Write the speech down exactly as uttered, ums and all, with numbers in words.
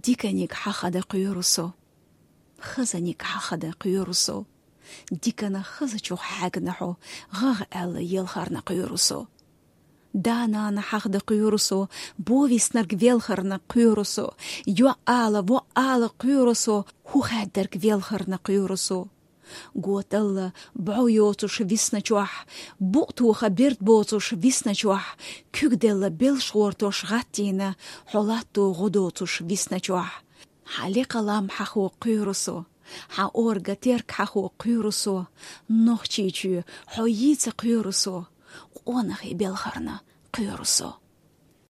Диканиг хьахада кхоьру со. Хазаниг хьахада кхоьру со. Дикана хазачух хьегна хьо, гӀагӀ аьлла елхарна кхоьру со. Да-нана хьахада кхоьру со, бо виснарг велхарна кхоьру со. ЙоӀ ала, воӀ ала кхоьру со, хӀу хаьддарг велхарна кхоьру со. Готалла бӀо йоцуш висначохь, букъ тоха берд боцуш висначохь, куьг делла белш гӀортош гӀаттийна, хьо латто гӀо доцуш висначохь. Хьан лекха лам хьахо кхоьру со, хьан орга терк хьахо кхоьру со, Нохчийчоь хьо йийца кхоьру со, къонахий белхарна кхоьру со.